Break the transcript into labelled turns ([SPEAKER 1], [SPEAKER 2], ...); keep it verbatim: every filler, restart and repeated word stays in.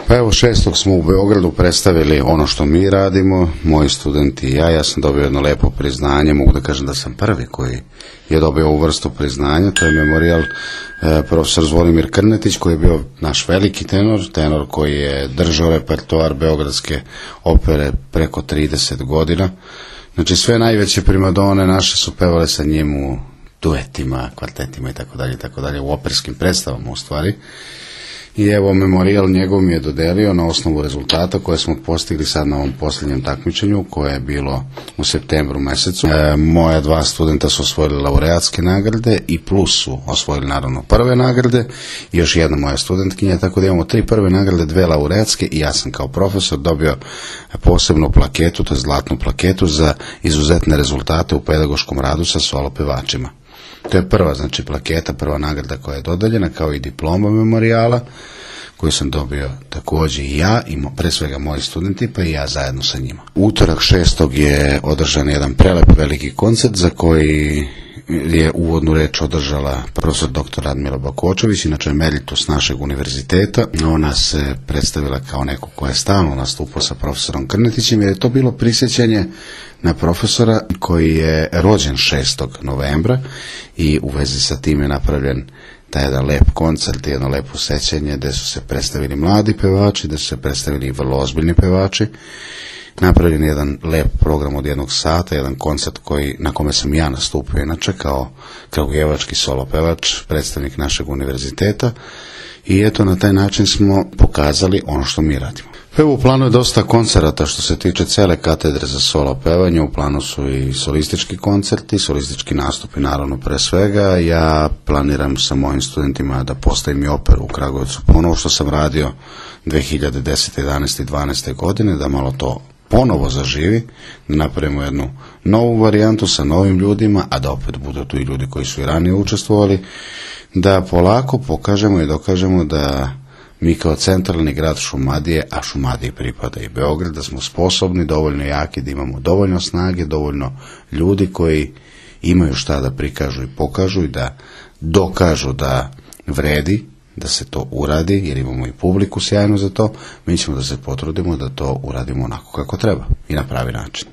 [SPEAKER 1] Pa evo, šestog smo u Beogradu predstavili ono što mi radimo, moji studenti i ja. Ja sam dobio jedno lepo priznanje, mogu da kažem da sam prvi koji je dobio ovu vrstu priznanja. To je memorijal e, profesor Zvonimir Krnetić, koji je bio naš veliki tenor, tenor koji je držao repertoar beogradske opere preko trideset godina. Znači sve najveće primadone naše su pevale sa njim u duetima, kvartetima i tako dalje i tako dalje, u operskim predstavama u stvari. I evo, memorijal njegov mi je dodelio na osnovu rezultata koje smo postigli sad na ovom posljednjem takmičenju, koje je bilo u septembru mesecu. E, moja dva studenta su osvojili laureatske nagrade i plus su osvojili naravno prve nagrade i još jedna moja studentkinja, tako da imamo tri prve nagrade, dve laureatske i ja sam kao profesor dobio posebnu plaketu, to je zlatnu plaketu za izuzetne rezultate u pedagoškom radu sa solo pevačima. To je prva, znači, plaketa, prva nagrada koja je dodeljena, kao i diploma memorijala, koju sam dobio također i ja, i pre svega moji studenti, pa i ja zajedno sa njima. Utorak šestog je održan jedan prelep veliki koncert za koji je uvodnu reč održala profesor doktor Radmila Bakočević, inače emeritus našeg univerziteta. Ona se predstavila kao neko ko je stalno nastupao sa profesorom Krnetićem, jer je to bilo prisjećanje na profesora koji je rođen šestog novembra i u vezi sa tim je napravljen taj jedan lep koncert, jedno lepo sećanje gde su se predstavili mladi pevači, gde su se predstavili i vrlo ozbiljni pevači. Napravljen je jedan lep program od jednog sata, jedan koncert koji, na kome sam ja nastupio inače kao kragujevački solo pevač, predstavnik našeg univerziteta, i eto, na taj način smo pokazali ono što mi radimo. Evo, u planu je dosta koncerata što se tiče cele katedre za solo pevanje. U planu su i solistički koncerti, solistički nastupi naravno pre svega. Ja planiram sa mojim studentima da postavim i operu u Kragujevcu ponovo, što sam radio dve hiljade desete, jedanaeste i dvanaeste godine, da malo to ponovo zaživi, da napravimo jednu novu varijantu sa novim ljudima, a da opet budu tu i ljudi koji su i ranije učestvovali, da polako pokažemo i dokažemo da mi kao centralni grad Šumadije, a Šumadiji pripada i Beograd, da smo sposobni, dovoljno jaki, da imamo dovoljno snage, dovoljno ljudi koji imaju šta da prikažu i pokažu i da dokažu da vredi da se to uradi, jer imamo i publiku sjajno za to. Mi ćemo da se potrudimo da to uradimo onako kako treba i na pravi način.